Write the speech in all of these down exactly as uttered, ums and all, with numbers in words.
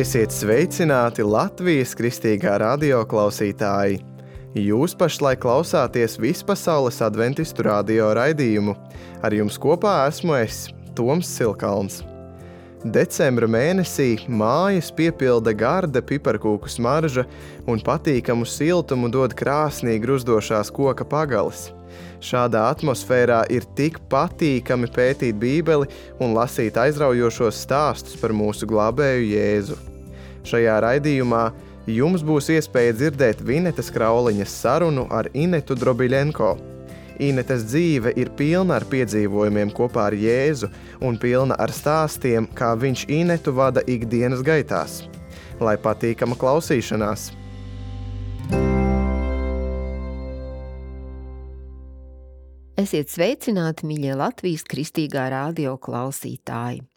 Esiet sveicināti Latvijas kristīgā radio klausītāji! Jūs pašlaik klausāties Vispasaules adventistu radio raidījumu. Ar jums kopā esmu es, Toms Silkalns. Decembra mēnesī mājas piepilda garda piparkūku smarža un patīkamu siltumu dod krāsnīgi gruzdošās koka pagalis. Šādā atmosfērā ir tik patīkami pētīt Bībeli un lasīt aizraujošos stāstus par mūsu glābēju Jēzu. Šajā raidījumā jums būs iespēja dzirdēt Vinetas Krauliņas sarunu ar Inetu Drobiļenko. Inetas dzīve ir pilna ar piedzīvojumiem kopā ar Jēzu un pilna ar stāstiem, kā viņš Inetu vada ikdienas gaitās. Lai patīkama klausīšanās! Esiet sveicināti, mīļie Latvijas kristīgā radio klausītāji!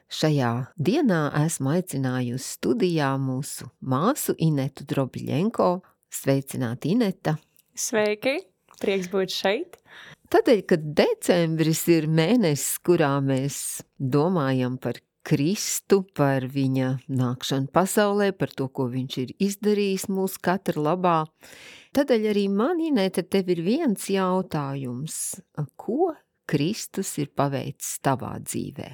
Šajā dienā esmu aicinājusi studijā mūsu māsu Inetu Drobiļenko. Sveicināti, Ineta! Sveiki! Prieks būt šeit! Tādēļ, ka decembris ir mēnesis, kurā mēs domājam par Kristu, par viņa nākšanu pasaulē, par to, ko viņš ir izdarījis mūsu katra labā. Tādēļ arī man, Ineta, tev ir viens jautājums. Ko Kristus ir paveicis tavā dzīvē?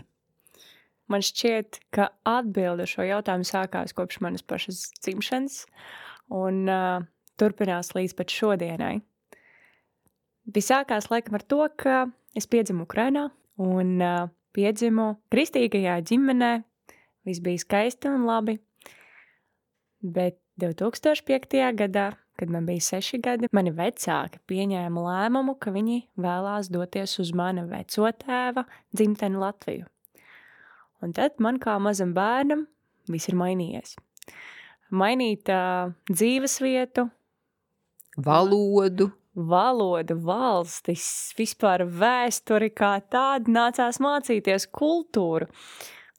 Man šķiet, ka atbilde šo jautājumu sākās kopš manas pašas dzimšanas un uh, turpinās līdz pat šodienai. Viss sākās laikam ar to, ka es piedzimu Ukrainā un uh, piedzimu kristīgajā ģimenē. Viss bija skaisti un labi. Bet divi tūkstoši piektajā gadā, kad man bija seši gadi, mani vecāki pieņēma lēmumu, ka viņi vēlās doties uz mana vecotēva dzimteni Latviju. Un tad man kā mazam bērnam viss ir mainījies. Mainīt uh, dzīvesvietu, valodu, valodu, valstis, vispār vēsturi kā tādu, nācās mācīties kultūru.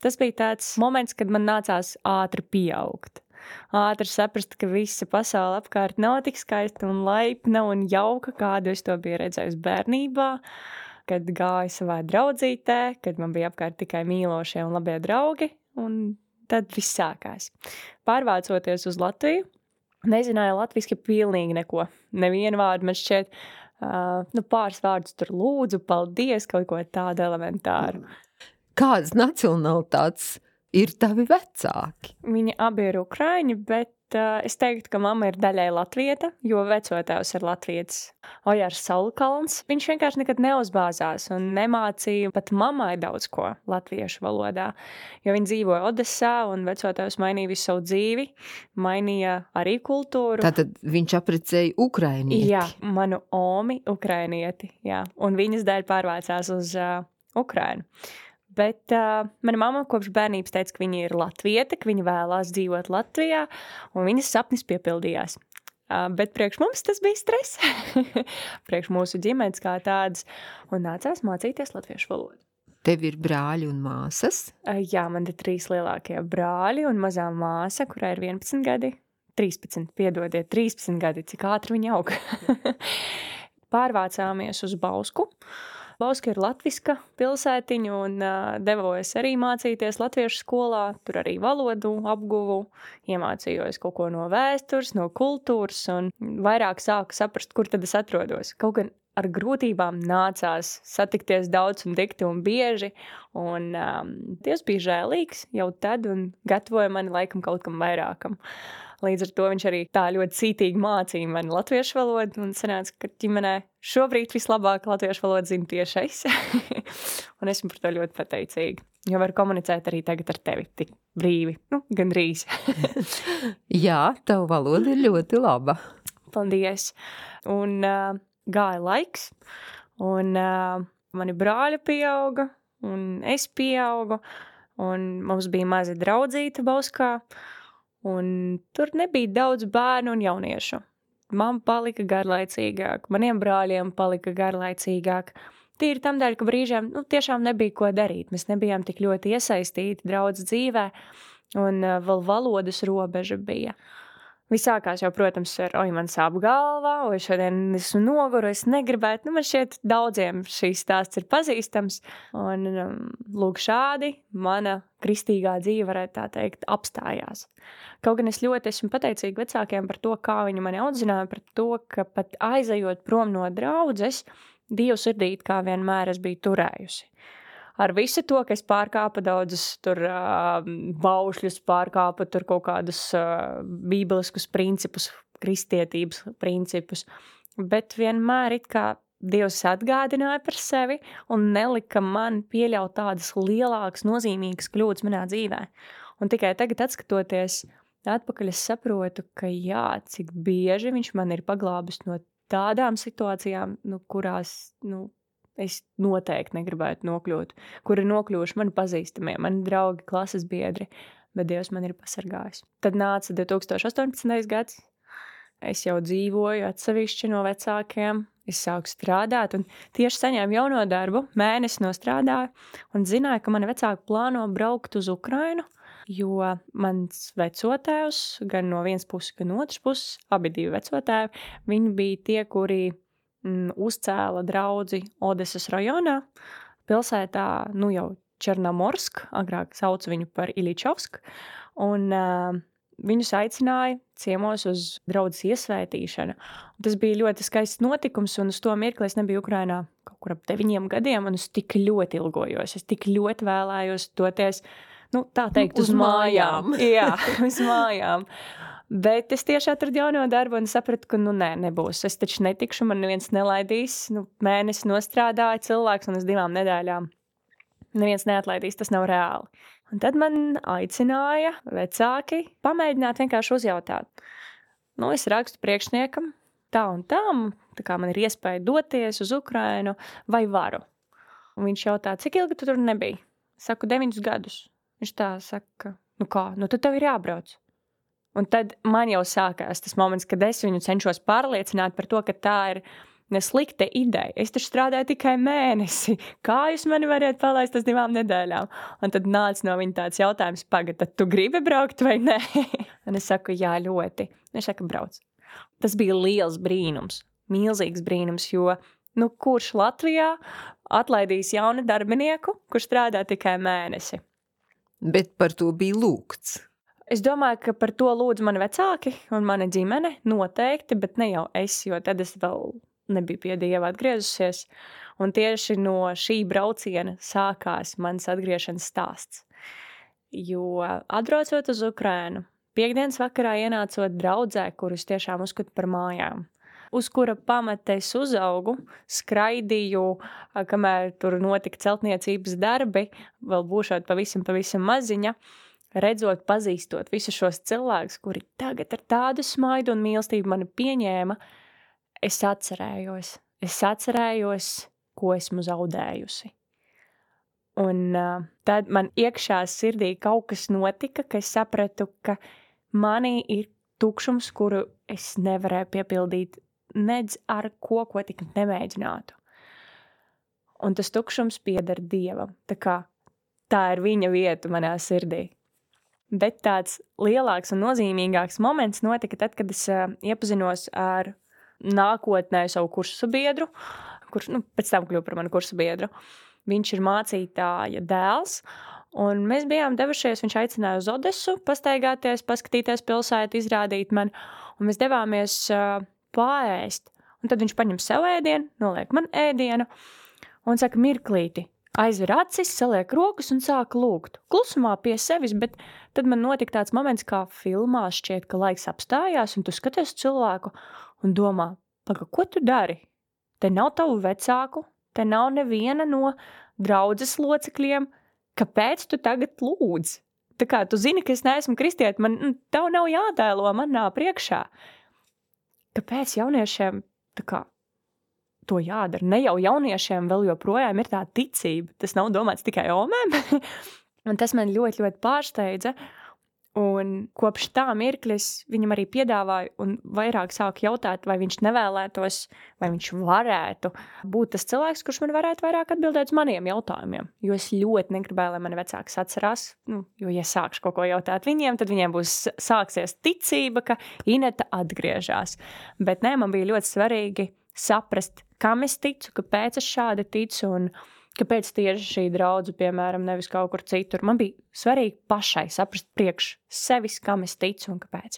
Tas bija tāds moments, kad man nācās ātri pieaugt. Ātri saprast, ka visa pasaule apkārt nav tik skaista un laipna un jauka, kādu es to biju redzējusi bērnībā, kad gāju savā draudzītē, kad man bija apkārt tikai mīlošie un labie draugi, un tad viss sākās. Pārvācoties uz Latviju, nezināju latviski pilnīgi neko. Nevienu vārdu man šķiet, uh, nu pāris vārdus tur lūdzu, paldies, kaut ko tādu elementāru. Kādas nacionalitātes ir tavi vecāki? Viņi abi ir ukraiņi, bet uh, es teiktu, ka mamma ir daļai latvieta, jo vecotēvs ir latvietis Ojārs Saulkalns. Viņš vienkārši nekad neuzbāzās un nemācīja pat mammai daudz ko latviešu valodā, jo viņi dzīvoja Odesā un vecotēvs mainīja visu savu dzīvi, mainīja arī kultūru. Tātad viņš apprecēja ukrainieti? Jā, manu omi ukrainieti, jā, un viņas dēļ pārvācās uz uh, Ukrainu. Bet uh, mana mamma kopš bērnības teica, ka viņa ir latviete, ka viņa vēlās dzīvot Latvijā, un viņas sapnis piepildījās. Uh, bet priekš mums tas bija stress, priekš mūsu ģimenes kā tādas, un nācās mācīties latviešu valodu. Tev ir brāļi un māsas? Uh, jā, man ir trīs lielākie brāļi un mazā māsa, kurai ir vienpadsmit gadi, trīspadsmit, piedodiet, trīspadsmit gadi, cik ātri viņa aug. Pārvācāmies uz Bausku. Bauska ir latviska pilsētiņa un uh, devos arī mācīties latviešu skolā, tur arī valodu apguvu, iemācījos kaut ko no vēstures, no kultūras un vairāk sāku saprast, kur tad es atrodos. Kaut gan ar grūtībām nācās satikties daudz un dikti un bieži, un um, Dievs bija žēlīgs jau tad un gatavoja mani laikam kaut kam vairākam. Līdz ar to viņš arī tā ļoti cītīgi mācīja mani latviešu valodu, un sanāca, ka ģimenē šobrīd vislabāk latviešu valodu zinu tieši es. Un esmu par to ļoti pateicīga, jo varu komunicēt arī tagad ar tevi tik brīvi, nu, gandrīz. Jā, tava valoda ir ļoti laba. Paldies. Un uh, gāja laiks, un uh, mani brāļi pieauga, un es pieaugu, un mums bija maza draudzīta Bauskā, un tur nebija daudz bērnu un jauniešu. Man palika garlaicīgāk, maniem brāļiem palika garlaicīgāk. Tīri tam dēļ, ka brīžiem nu, tiešām nebija ko darīt. Mēs nebijām tik ļoti iesaistīti draudz dzīvē, un uh, vēl valodas robeža bija. Viss sākās jau, protams, ar oi, man sāp galvā, oi, šodien esmu noguru, es negribētu. Nu, man šķiet, daudziem šīs stāsts ir pazīstams. Un, um, lūk, šādi mana kristīgā dzīve, varētu tā teikt, apstājās. Kaut gan es ļoti esmu pateicīga vecākiem par to, kā viņi mani audzināja, par to, ka pat aizejot prom no draudzes, Dievu sirdīt kā vienmēr es biju turējusi. Ar visu to, ka es pārkāpu daudzus tur uh, baušļus, pārkāpu tur kaut kādus uh, bībeliskus principus, kristietības principus, bet vienmēr it kā Dievs atgādināja par sevi un nelika man pieļaut tādas lielākas, nozīmīgas kļūdas manā dzīvē. Un tikai tagad, atskatoties atpakaļ, es saprotu, ka jā, cik bieži viņš man ir paglābis no tādām situācijām, nu, kurās, nu, es noteikti negribētu nokļūt, kur ir nokļuvuši mani pazīstamie, mani draugi, klases biedri, bet Dievs man ir pasargājis. Tad nāca divi tūkstoši astoņpadsmitais gads, es jau dzīvoju atsevišķi no vecākiem, es sāku strādāt un tieši saņēmu jauno darbu, mēnesi nostrādāju un zināju, ka mani vecāki plāno braukt uz Ukrainu, jo mans vecotēvs, gan no vienas puses, gan otras puses, abi divi vecotēvi, viņi bija tie, kuri uzcēla draudzi Odesas rajonā, pilsētā, nu jau Černomorsk, agrāk sauc viņu par Iličovsk, un uh, viņus aicināja ciemos uz draudzes iesvētīšanu. Un tas bija ļoti skaists notikums, un uz to mirkli es nebiju Ukrainā kaut kur ap deviņiem gadiem, un es tik ļoti ilgojos, es tik ļoti vēlējos doties, nu tā teikt, uz, uz mājām. Jā, uz mājām. Bet es tieši atradu jauno darbu un sapratu, ka nu nē, nebūs. Es taču netikšu, man neviens nelaidīs. Nu, mēnesi nostrādāja cilvēks un uz divām nedēļām neviens neatlaidīs, tas nav reāli. Un tad man aicināja vecāki pamēģināt vienkārši uzjautāt. Nu, es rakstu priekšniekam tā un tā, tā kā man ir iespēja doties uz Ukrainu, vai varu. Un viņš jautā, cik ilgi tu tur nebija? Saku, deviņus gadus. Viņš tā saka, nu kā, nu tad tev ir jābrauc. Un tad man jau sākās tas moments, kad es viņu cenšos pārliecināt par to, ka tā ir neslikta ideja. Es taču strādāju tikai mēnesi. Kā jūs mani variet palaist uz divām nedēļām? Un tad nāca no viņa tāds jautājums, pagad, tad tu gribi braukt vai nē? Un es saku, jā, ļoti. Viņš saka, brauc. Tas bija liels brīnums, milzīgs brīnums, jo nu, kurš Latvijā atlaidīs jaunu darbinieku, kurš strādā tikai mēnesi? Bet par to bija lūgts. Es domāju, ka par to lūdz mani vecāki un mana ģimene noteikti, bet ne jau es, jo tad es vēl nebiju pie Dieva atgriezusies. Un tieši no šī brauciena sākās mans atgriešanas stāsts. Jo atbraucot uz Ukrainu, piekdienas vakarā ienācot draudzē, kurus tiešām uzskatu par mājām, uz kura pamata es uzaugu, skraidīju, kamēr tur notika celtniecības darbi, vēl būšot pavisam, pavisam maziņa, redzot, pazīstot visus šos cilvēkus, kuri tagad ar tādu smaidu un mīlestību mani pieņēma, es atcerējos. Es atcerējos, ko esmu zaudējusi. Un uh, tad man iekšā sirdī kaut kas notika, ka es sapratu, ka manī ir tukšums, kuru es nevarēju piepildīt nedz ar ko, ko tik nemēģinātu. Un tas tukšums pieder Dievam. Tā kā tā ir viņa vieta manā sirdī. Bet tāds lielāks un nozīmīgāks moments notika tad, kad es uh, iepazinos ar nākotnē savu kursu biedru, kurš nu, pēc tam kļuva par manu kursu biedru. Viņš ir mācītāja dēls, un mēs bijām devušies, viņš aicināja uz Odesu pastaigāties, paskatīties pilsētu, izrādīt man, un mēs devāmies uh, pārēst. Un tad viņš paņem sev ēdienu, noliek man ēdienu, un saka, mirklīti, aizver acis, saliek rokas un sāk lūgt. Klusumā pie sevis, bet tad man notika tāds moments, kā filmā šķiet, ka laiks apstājās, un tu skaties cilvēku un domā, paga, ko tu dari? Te nav tavu vecāku, te nav neviena no draudzes locekļiem, kāpēc tu tagad lūdz? Tā kā tu zini, ka es neesmu kristieti, man tev nav jātēlo manā priekšā. Kāpēc jauniešiem tā kā to jādara? Ne jau jauniešiem vēl joprojām ir tā ticība. Tas nav domāts tikai omēm. Un tas man ļoti, ļoti pārsteidza. Un kopš tā mirkļa es viņam arī piedāvāju un vairāk sāku jautāt, vai viņš nevēlētos, vai viņš varētu būt tas cilvēks, kurš man varētu vairāk atbildēt uz maniem jautājumiem. Jo es ļoti negribēju, lai mani vecāks atcerās, nu, jo ja sākšu kaut ko jautāt viņiem, tad viņiem būs sāksies ticība, ka Ineta atgriežās. Bet nē, man bija ļoti svarīgi saprast, kam es ticu, kāpēc es šādi ticu un kāpēc tieši šī draudze, piemēram, nevis kaut kur citur. Man bija svarīgi pašai saprast priekš sevis, kam es ticu un kāpēc.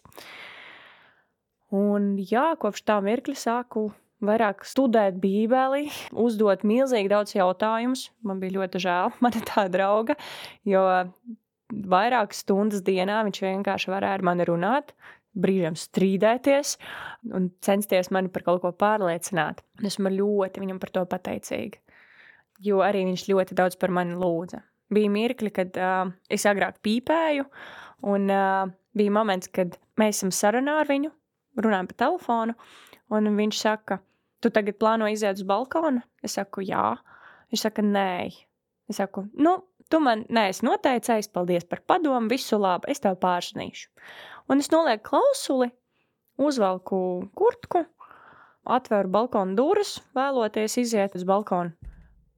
Un jā, kopš tā mirkļa sāku vairāk studēt bībeli, uzdot milzīgi daudz jautājumus. Man bija ļoti žēl, mana tā drauga, jo vairākas stundas dienā viņš vienkārši varēja ar mani runāt, brīžiem strīdēties un censties mani par kaut ko pārliecināt. Esmu ļoti viņam par to pateicīga. Jo arī viņš ļoti daudz par mani lūdza. Bija mirkļi, kad uh, es agrāk pīpēju, un uh, bija moments, kad mēs esam sarunā ar viņu, runājam pa telefonu, un viņš saka, tu tagad plāno iziet uz balkonu? Es saku, jā. Viņš saka, nē. Es saku, nu, tu man neesi noteicējis, paldies par padomu, visu labi, es tev pārsnīšu. Un es nolieku klausuli, uzvelku kurtku, atveru balkonu durvis, vēloties iziet uz balkonu.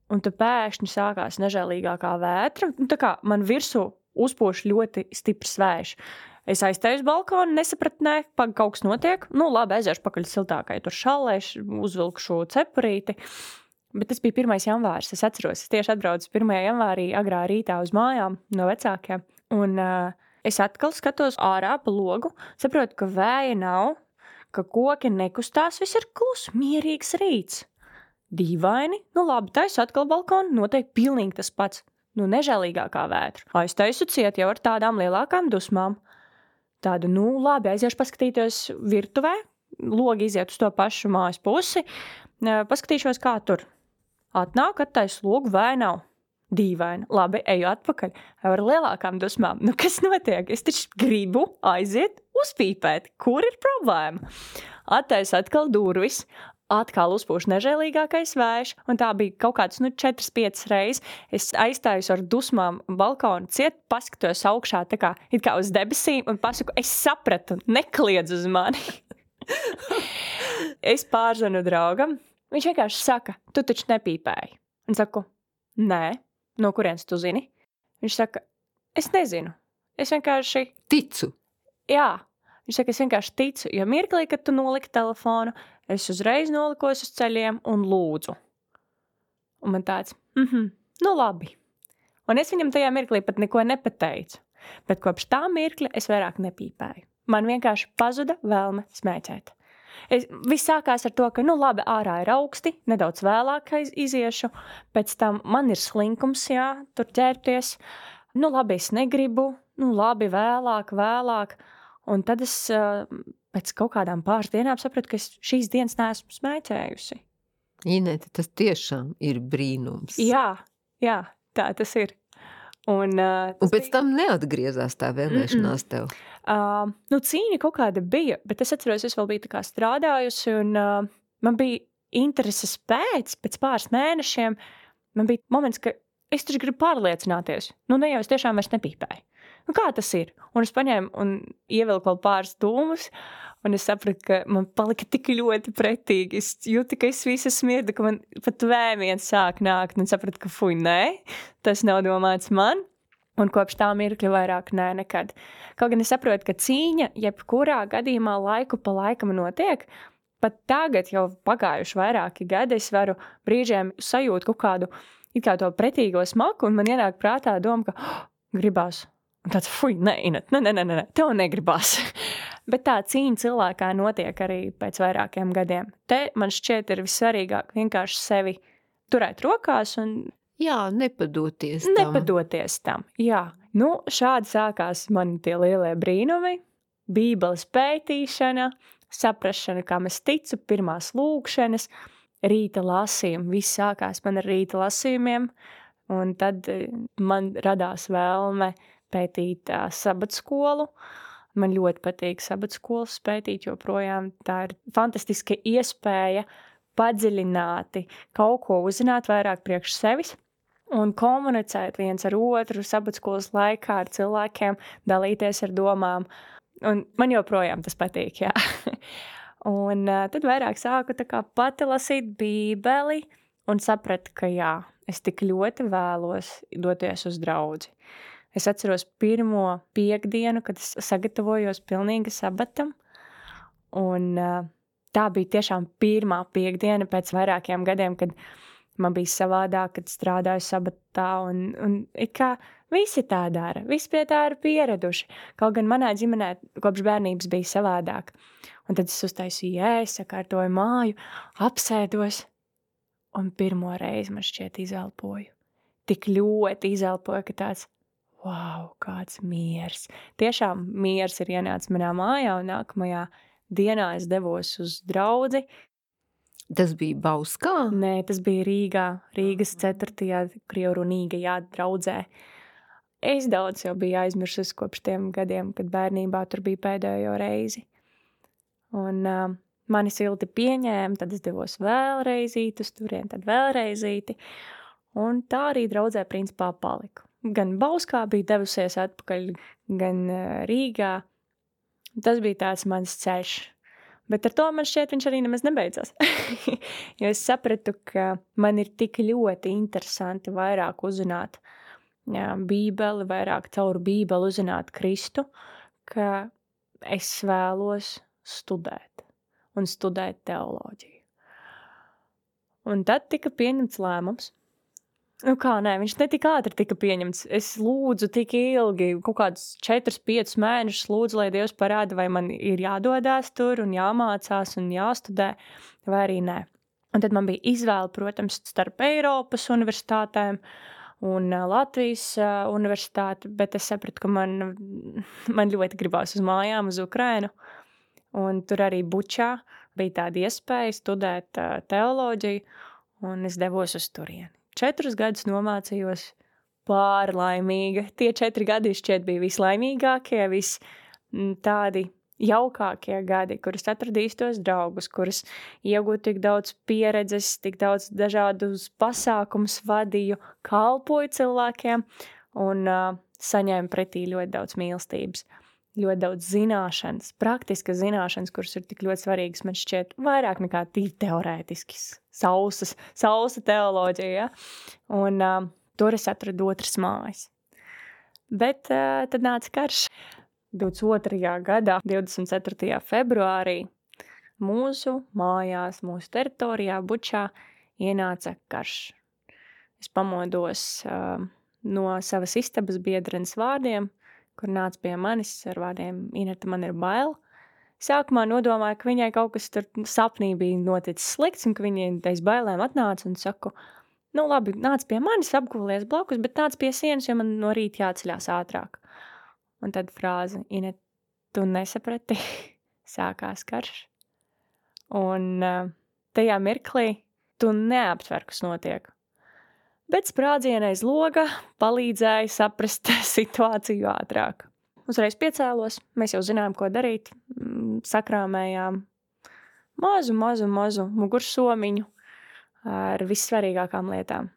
Un tad pēkšņi sākās nežēlīgākā vētra. Tā kā man virsū uzpūš ļoti stiprs vējš. Es aiztēju uz balkonu, nesapratu, nē, pag kaut kas notiek. Nu, labi, aiziešu pakaļ siltākai, tur šallēšu, uzvilku šo cepurīti. Bet tas bija pirmais janvārs, es atceros. Es tieši atbraucu pirmajā janvārī agrā rītā uz mājām no vecākiem. Un uh, es atkal skatos ārā pa logu, saprotu, ka vēja nav, ka koki nekustās, viss ir klus, mierīgs rīts. Dīvaini, nu labi, taisu atkal balkonu, noteikti pilnīgi tas pats, nu nežēlīgākā vētra. Aiztaisu ciet jau ar tādām lielākām dusmām. Tādu, nu labi, aiziešu paskatīties virtuvē, logi iziet uz to pašu mājas pusi, paskatīšos, kā tur. Atnāk, attaisu logu, vai nav. Dīvaini, labi, eju atpakaļ, ar lielākām dusmām. Nu kas notiek? Es taču gribu aiziet uzpīpēt, kur ir problēma? Attaisu atkal durvis, atkal uzpūš nežēlīgākais vējš, un tā bija kaut kāds, nu, četras piecas reizes. Es aizstājos ar dusmām balkonu ciet, paskatos augšā, tā kā, it kā uz debesīm, un pasaku, es sapratu, nekliedz uz mani. Es pārzvanu draugam, viņš vienkārši saka, tu taču nepīpēji. Un saku, nē, no kurienes tu zini? Viņš saka, es nezinu, es vienkārši ticu. Jā, viņš saka, es vienkārši ticu, jo mirklī, kad tu noliki telefonu, es uzreiz nolikos uz ceļiem un lūdzu. Un man tāds, mhm, nu labi. Un es viņam tajā mirklī pat neko nepateicu. Bet kopš tā mirkļa es vairāk nepīpēju. Man vienkārši pazuda vēlme smēķēt. Es, viss sākās ar to, ka, nu labi, ārā ir augsti, nedaudz vēlāk iziešu, pēc tam man ir slinkums, jā, tur ķērties. Nu labi, es negribu, nu labi, vēlāk, vēlāk. Un tad es pēc kaut kādām pāris dienām sapratu, ka es šīs dienas neesmu smēķējusi. Inete, tas tiešām ir brīnums. Jā, jā, tā tas ir. Un, uh, tas un pēc bija... tam neatgriezās tā vēlēšanās Mm-mm. tev? Uh, nu, cīņa kaut kāda bija, bet es atceros, es vēl biju tā kā strādājusi, un uh, man bija intereses pēc, pēc pāris mēnešiem, man bija moments, ka es taču gribu pārliecināties. Nu, ne jau es tiešām vairs nepīpēju. Nu, kā tas ir? Un es paņēmu un ievilku vēl pāris dūmus, un es sapratu, ka man palika tik ļoti pretīgi. Es jūtu, ka es visu smirdu, ka man pat vēmiens sāk nākt, un sapratu, ka fuj, nē, tas nav domāts man. Un kopš tā mirkļa vairāk nē, nekad. Kaut gan es saprotu, ka cīņa jebkurā gadījumā laiku pa laikam notiek, pat tagad jau pagājuši vairāki gadi, es varu brīžiem sajūt kaut kādu it kā to pretīgo smaku, un man ienāk prātā doma, ka oh, gribās. Un tāds, fuj, nē, Inet, nē, nē, nē, nē, tev negribās. Bet tā cīņa cilvēkā notiek arī pēc vairākiem gadiem. Te man šķiet ir vissvarīgāk vienkārši sevi turēt rokās un... Jā, nepadoties tam. Nepadoties tam, jā. Nu, šādi sākās mani tie lielie brīnumi, bībeles pētīšana, saprašana, kam es ticu, pirmās lūkšanas, rīta lasījumi. Viss sākās man ar rīta lasījumiem, un tad man radās vēlme pētīt uh, sabatskolu. Man ļoti patīk sabatskolas pētīt, joprojām tā ir fantastiska iespēja padziļināti kaut ko uzzināt vairāk priekš sevis. un komunicēt viens ar otru sabatskolas laikā ar cilvēkiem, dalīties ar domām. Un man joprojām tas patīk, jā. Un uh, tad vairāk sāku tā kā pati lasīt bībeli un sapratu, ka jā, es tik ļoti vēlos doties uz draudzi. Es atceros pirmo piekdienu, kad es sagatavojos pilnīgi sabatam, un uh, tā bija tiešām pirmā piekdiena pēc vairākiem gadiem, kad man bija savādāk, kad strādāju sabatā, un, un it kā visi tā dara, visi pie tā ir pieraduši. Kaut gan manā ģimenē kopš bērnības bija savādāk. Un tad es uztaisīju ēst, sakārtoju māju, apsēdos, un pirmo reizi man šķiet izelpoju. Tik ļoti izelpoju, ka tāds, wow, kāds miers. Tiešām miers ir ienācis manā mājā, un nākamajā dienā es devos uz draudzi. Tas bija Bauskā? Nē, tas bija Rīgā, Rīgas ceturtajā krievurunīgajā draudzē. Es daudz jau biju aizmirsus kopš tiem gadiem, kad bērnībā tur bija pēdējo reizi. Un uh, mani silti pieņēma, tad es devos vēlreizīt uz turien, tad vēlreizīti. Un tā arī draudzē principā paliku. Gan Bauskā bija devusies atpakaļ, gan uh, Rīgā. Tas bija tāds mans ceļš. Bet ar to man šķiet viņš arī nemaz nebeidzās. Jo es sapratu, ka man ir tik ļoti interesanti vairāk uzzināt jā, bībeli, vairāk caur bībeli uzzināt Kristu, ka es vēlos studēt un studēt teoloģiju. Un tad tika pieņemts lēmums. Nu kā, nē, viņš ne tik ātri tika pieņemts. Es lūdzu tik ilgi, kaut kādus četrus, piecus mēnešus lūdzu, lai Dievs parāda, vai man ir jādodās tur un jāmācās un jāstudē, vai arī nē. Un tad man bija izvēle, protams, starp Eiropas universitātēm un Latvijas universitāti, bet es sapratu, ka man, man ļoti gribās uz mājām, uz Ukrainu. Un tur arī Bučā bija tāda iespēja studēt uh, teoloģiju, un es devos uz turieni. Četrus gadus nomācījos pārlaimīga. Tie četri gadi šķiet bija vislaimīgākie, vis tādi jaukākie gadi, kurus atradīs tos draugus, kurus iegūtu tik daudz pieredzes, tik daudz dažādus pasākumus vadīju, kalpoju cilvēkiem un uh, saņēmu pretī ļoti daudz mīlestības. Ļoti daudz zināšanas, praktiskas zināšanas, kuras ir tik ļoti svarīgas, man šķiet vairāk nekā tīri teorētiskis, sausas, sausa teoloģija, ja? Un uh, tur es atradu otras mājas. Bet uh, tad nāca karš. divdesmit otrajā gadā, divdesmit ceturtajā februārī, mūsu mājās, mūsu teritorijā, Bučā, ienāca karš. Es pamodos uh, no savas istabas biedrenes vārdiem, kur nāca pie manis ar vārdiem, Ineta, man ir bail. Sākumā nodomāju, ka viņai kaut kas tur sapnī bija noticis slikts, un ka viņai aiz bailēm atnāca un saku, nu labi, nāc pie manis, apgulies blakus, bet nāc pie sienas, jo man no rīta jāceļās ātrāk. Un tad frāze, Ineta, tu nesaprati, sākās karš. Un uh, tajā mirklī tu neaptver, kas notiek. Bet sprādziena aiz loga palīdzēja saprast situāciju ātrāk. Uzreiz piecēlos, mēs jau zinājām, ko darīt, sakrāmējām mazu, mazu, mazu mugursomiņu ar vissvarīgākām lietām.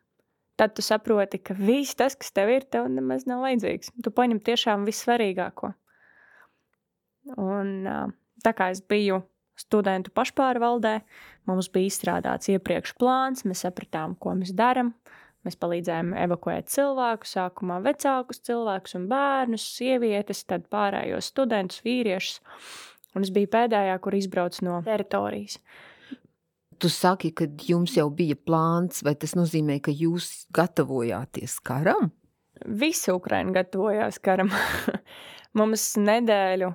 Tad tu saproti, ka viss tas, kas tev ir, tev nemaz nav vajadzīgs. Tu paņem tiešām vissvarīgāko. Un tā kā es biju studentu pašpārvaldē, mums bija izstrādāts iepriekš plāns, mēs sapratām, ko mēs daram. Mēs palīdzējām evakuēt cilvēkus, sākumā vecākus cilvēkus un bērnus, sievietes, tad pārējos studentus, vīriešus. Un es biju pēdējā, kur izbrauc no teritorijas. Tu saki, ka jums jau bija plāns, vai tas nozīmē, ka jūs gatavojāties karam? Visi Ukraina gatavojās karam. Mums nedēļu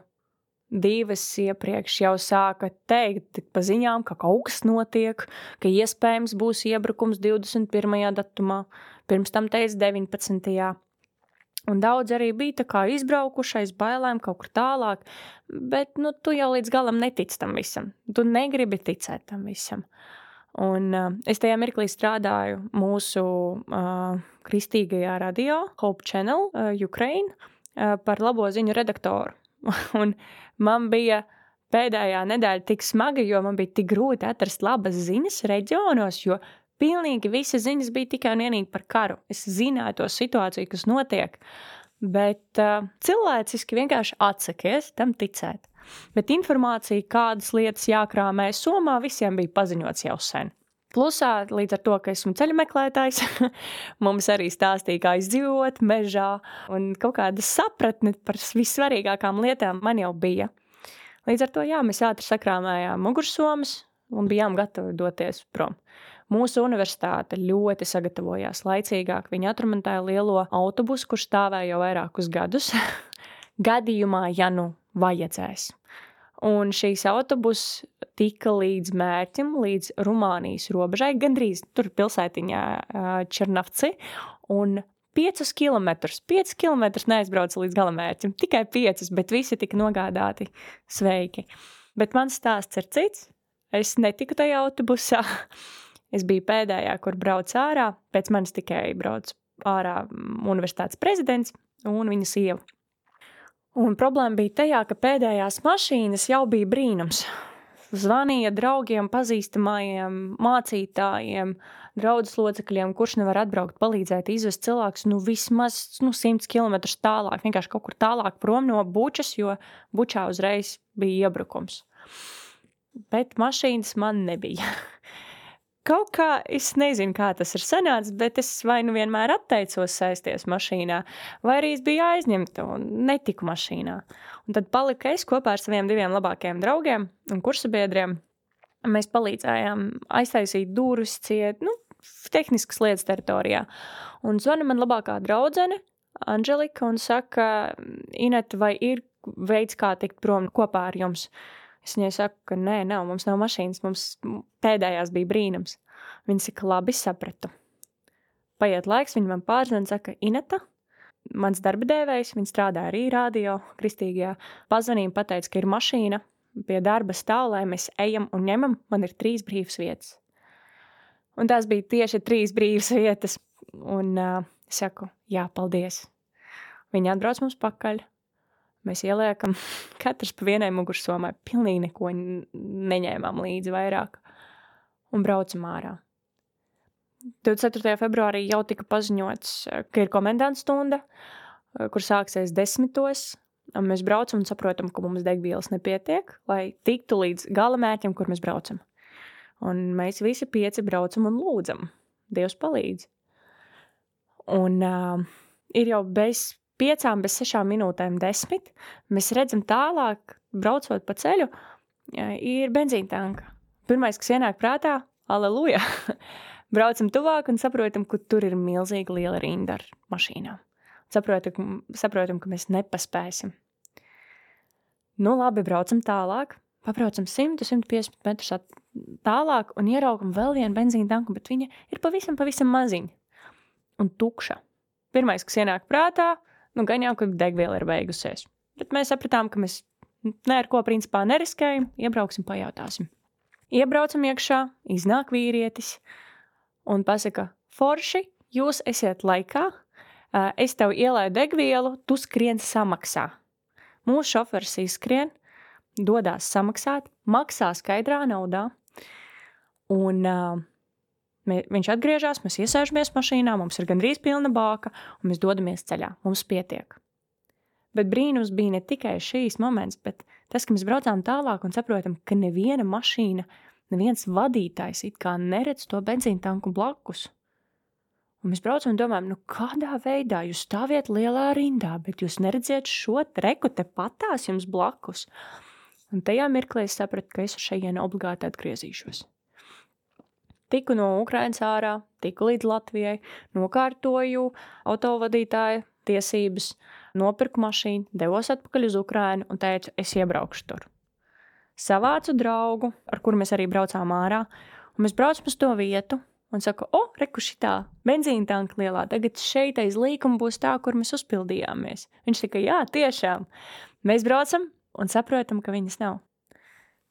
divas iepriekš jau sāka teikt pa ziņām, ka kaut kas notiek, ka iespējams būs iebrukums divdesmit pirmajā datumā, pirms tam teica deviņpadsmitajā Un daudz arī bija tā kā izbraukušais bailēm kaut kur tālāk, bet nu, tu jau līdz galam netici tam visam. Tu negribi ticēt tam visam. Un uh, es tajā mirklī strādāju mūsu uh, kristīgajā radio, Hope Channel, uh, Ukraine, uh, par labo ziņu redaktoru. Un man bija pēdējā nedēļa tik smaga, jo man bija tik grūti atrast labas ziņas reģionos, jo pilnīgi visas ziņas bija tikai un vienīgi par karu. Es zināju to situāciju, kas notiek, bet uh, cilvēciski vienkārši atsakies tam ticēt. Bet informācija, kādas lietas jākrāmē Somā, visiem bija paziņots jau sen. Plusā, līdz ar to, ka esmu ceļmeklētājs, mums arī stāstīja, kā izdzīvot mežā, un kaut kāda sapratne par vissvarīgākām lietām man jau bija. Līdz ar to, jā, mēs ātri sakrāmējām mugursomas un bijām gatavi doties prom. Mūsu universitāte ļoti sagatavojās laicīgāk. Viņi atremontēja lielo autobusu, kurš stāvēja jau vairākus gadus, gadījumā, ja nu vajadzēs. Un šīs autobus tika līdz mērķim, līdz Rumānijas robežai, gandrīz tur pilsētiņā Černavci, un piecus kilometrus, piecus kilometrus neaizbrauca līdz galamērķim, tikai piecus, bet visi tika nogādāti sveiki. Bet mans stāsts ir cits, es netiku tajā autobusā, es biju pēdējā, kur brauc ārā, pēc manis tikai brauc ārā universitātes prezidents un viņa sieva. Un problēma bija tajā, ka pēdējās mašīnas jau bija brīnums. Zvanīja draugiem, pazīstamajiem, mācītājiem, draudzes locekļiem, kurš nevar atbraukt, palīdzēt, izvest cilvēkus, nu vismaz nu, simts kilometrus tālāk, vienkārši kaut kur tālāk prom no Bučas, jo Bučā uzreiz bija iebrukums. Bet mašīnas man nebija. Kaut kā, es nezinu, kā tas ir sanācis, bet es vai nu vienmēr atteicos sēsties mašīnā, vai arī es biju aizņemta un netiku mašīnā. Un tad palika es kopā ar saviem diviem labākajiem draugiem un kursabiedriem. Mēs palīdzējām aiztaisīt durvis ciet, nu, tehniskas lietas teritorijā. Un zvana man labākā draudzene, Anželika, un saka, Ineta, vai ir veids, kā tikt prom kopā ar jums? Es viņai saku, ka nē, nav, mums nav mašīnas, mums pēdējās bija brīnums. Viņa saka, labi, sapratu. Paiet laiks, viņa man pārzina, saka, Ineta, mans darba devējs, viņa strādā arī radio, kristīgajā, pazvanīja, pateica, ka ir mašīna pie darba stāv, lai mēs ejam un ņemam, man ir trīs brīvas vietas. Un tās bija tieši trīs brīvas vietas, un uh, saku, jā, paldies. Viņa atbrauc mums pakaļ. Mēs ieliekam katrs pa vienai mugursomai, pilnīgi neko neņēmām līdzi vairāk un braucam ārā. divdesmit ceturtajā februārī jau tika paziņots, ka ir komendanta stunda, kur sāksies desmitos, un mēs braucam un saprotam, ka mums degvielas nepietiek, lai tiktu līdz galamērķim, kur mēs braucam. Un mēs visi pieci braucam un lūdzam. Dievs palīdz. Un uh, ir jau bez piecām, bez sešām minūtēm desmit, mēs redzam tālāk, braucot pa ceļu, ir benzīna tanka. Pirmais, kas ienāk prātā, aleluja, braucam tuvāk un saprotam, ka tur ir milzīga liela rinda ar mašīnām. Saprotam, saprotam, ka mēs nepaspēsim. Nu labi, braucam tālāk, pabraucam simt līdz simt piecdesmit metrus tālāk un ieraugam vēl vienu benzīna tanku, bet viņa ir pavisam, pavisam maziņa un tukša. Pirmais, kas ienāk prātā, nu, gan jau, ka degviela ir beigusies. Bet mēs sapratām, ka mēs ne ar ko principā neriskējam, iebrauksim, pajautāsim. Iebraucam iekšā, iznāk vīrietis un pasaka, forši, jūs esiet laikā, es tev ielēju degvielu, tu skrien samaksā. Mūsu šoferis izskrien, dodās samaksāt, maksā skaidrā naudā, un uh, mē, viņš atgriežās, mēs iesēžamies mašīnā, mums ir gandrīz pilna bāka, un mēs dodamies ceļā, mums pietiek. Bet brīnums bija ne tikai šīs moments, bet tas, ka mēs braucām tālāk un saprotam, ka neviena mašīna, neviens vadītājs it kā neredz to benzīna tanku blakus. Un mēs braucam un domājam, nu kādā veidā jūs stāviet lielā rindā, bet jūs neredziet šo treku te patās jums blakus. Un tajā mirklī es sapratu, ka es šajien obligāti atgriezīšos. Tiku no Ukrainas ārā, tiku līdz Latvijai, nokārtoju autovadītāja tiesības, nopirku mašīnu, devos atpakaļ uz Ukrainu un teicu, es iebraukšu tur. Savācu draugu, ar kuru mēs arī braucām ārā, un mēs braucam uz to vietu, un saku, o, reku šitā, benzīna tanka lielā, tagad šeit aiz līkuma būs tā, kur mēs uzpildījāmies. Viņš saka, jā, tiešām. Mēs braucam un saprotam, ka viņas nav.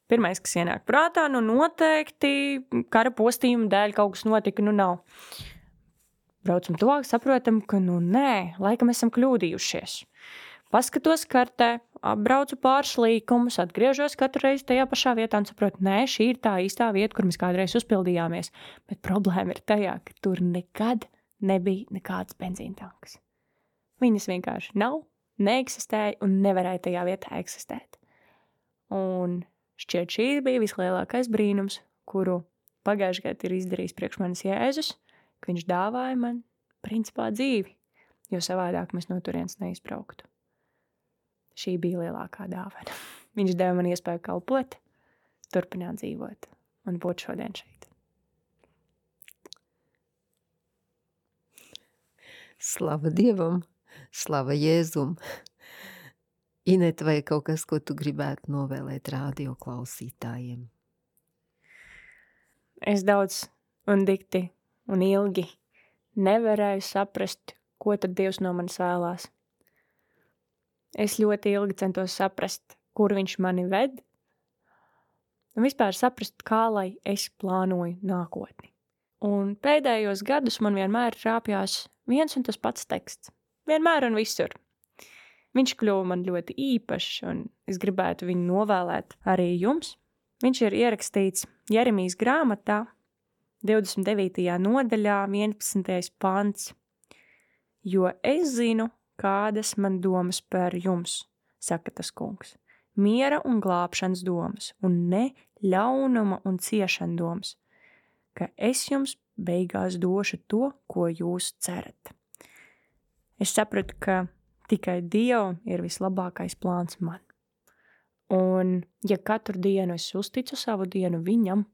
Pirmais, kas ienāk prātā, nu noteikti kara postījuma dēļ kaut kas notika, nu nav. Braucam tuvāk, saprotam, ka nu nē, laikam esam kļūdījušies. Paskatos kartē, apbraucu pāris līkumus, atgriežos katru reizi tajā pašā vietā un saprotu, nē, šī ir tā īstā vieta, kur mēs kādreiz uzpildījāmies. Bet problēma ir tajā, ka tur nekad nebija nekāds benzīntanks. Viņas vienkārši nav, neeksistēja un nevarēja tajā vietā eksistēt. Un šķiet šī bija vislielākais brīnums, kuru pagājušajā gadā ir izdarījis priekš manis Jēzus, ka viņš dāvāja man principā dzīvi, jo savādāk mēs no turienes neizbrauktu. Šī bija lielākā dāvana. Viņš deva man iespēju kalpot, turpināt dzīvot un būt šodien šeit. Slava Dievam, slava Jēzum. Ineta, vai kaut kas, ko tu gribētu novēlēt radio klausītājiem? Es daudz un dikti un ilgi nevarēju saprast, ko tad Dievs no manis vēlās. Es ļoti ilgi centos saprast, kur viņš mani ved, un vispār saprast, kā lai es plānoju nākotni. Un pēdējos gadus man vienmēr rāpjās viens un tas pats teksts. Vienmēr un visur. Viņš kļuva man ļoti īpašs, un es gribētu viņu novēlēt arī jums. Viņš ir ierakstīts Jeremijas grāmatā, divdesmit devītajā nodaļā, vienpadsmitais pants. Jo es zinu, kādas man domas par jums, saka tas kungs. Miera un glābšanas domas, un ne ļaunuma un ciešana domas, ka es jums beigās došu to, ko jūs cerat. Es sapratu, ka tikai Dievam ir vislabākais plāns man. Un ja katru dienu es uzticu savu dienu viņam,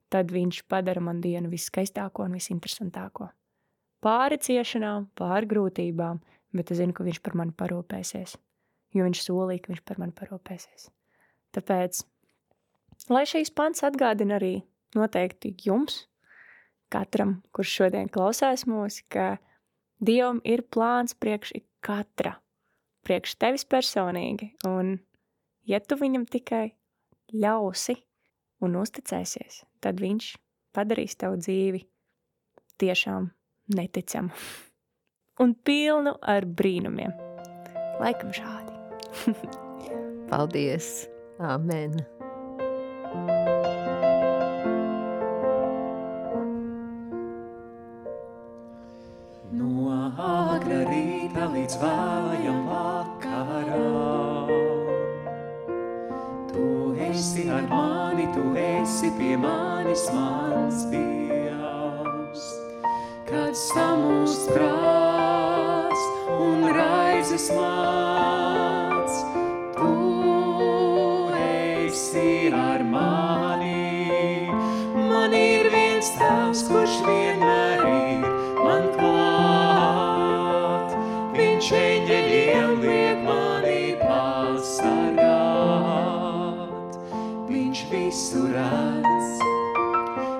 tad viņš padara man dienu viskaistāko un visinteresantāko. Pāri ciešanām, pāri grūtībām, bet es zinu, ka viņš par mani parūpēsies, jo viņš solīja, ka viņš par mani parūpēsies. Tāpēc, lai šīs pants atgādina arī noteikti jums, katram, kurš šodien klausās mūs, ka Dievam ir plāns priekš katra, priekš tevis personīgi, un ja tu viņam tikai ļausi un uzticēsies, tad viņš padarīs tavu dzīvi tiešām neticamu un pilnu ar brīnumiem. Laikam šādi. Paldies! Āmen! No āgra rīta līdz vēlajam vakaram Tu esi ar mani, tu esi pie manis mans Dievs. Kad samūst prāts un raizes māc, tu esi ar mani. Man ir viens tēvs, kurš vienmēr ir man klāt. Viņš eņģeļiem liek mani pasargāt. Viņš visu redz,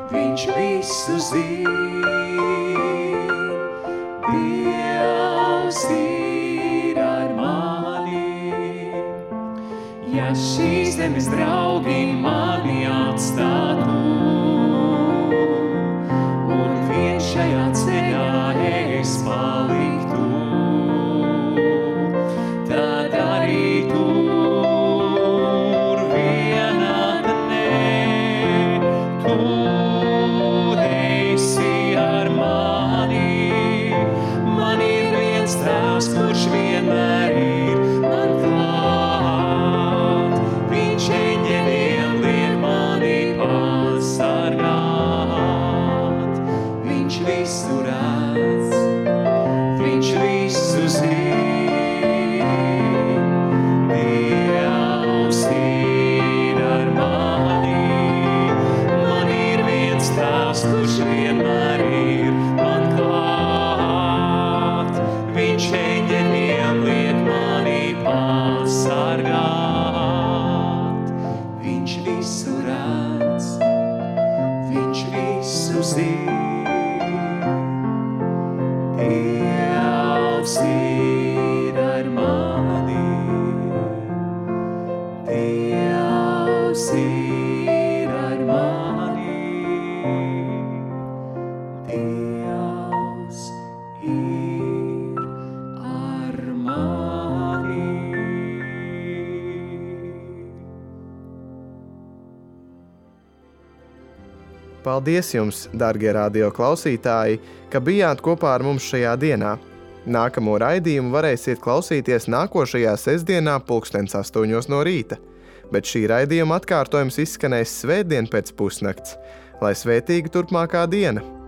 viņš visu zin. Dievs ir ar mani. Ja šīs zemes draugi mani atstātu, un vien šajā ceļā es paliktu, tad arī tur vienāda nē, tu esi ar mani. Man ir viens tēvs, kurš vienmēr ir man klāt. Viņš eņģeļiem liek mani pasargāt. Viņš visu redz, viņš visu zin. Dievs ir ar mani. Man ir viens tēvs, kurš vienmēr ir man klāt. Viņš eņģeļiem liek mani pasargāt. Viņš visu redz, viņš visu zin. Dievs ir ar mani. Dievs ir ar mani. Dievs ir ar mani. Paldies jums, darbie radio klausītāji, ka bijāt kopā ar mums šajā dienā. Nākamo raidījumu varēsiet klausīties nākošajā sestdienā pulkstens astoņos no rīta, bet šī raidījuma atkārtojums izskanēs svētdien pēc pusnakts. Lai svētīga turpmākā diena!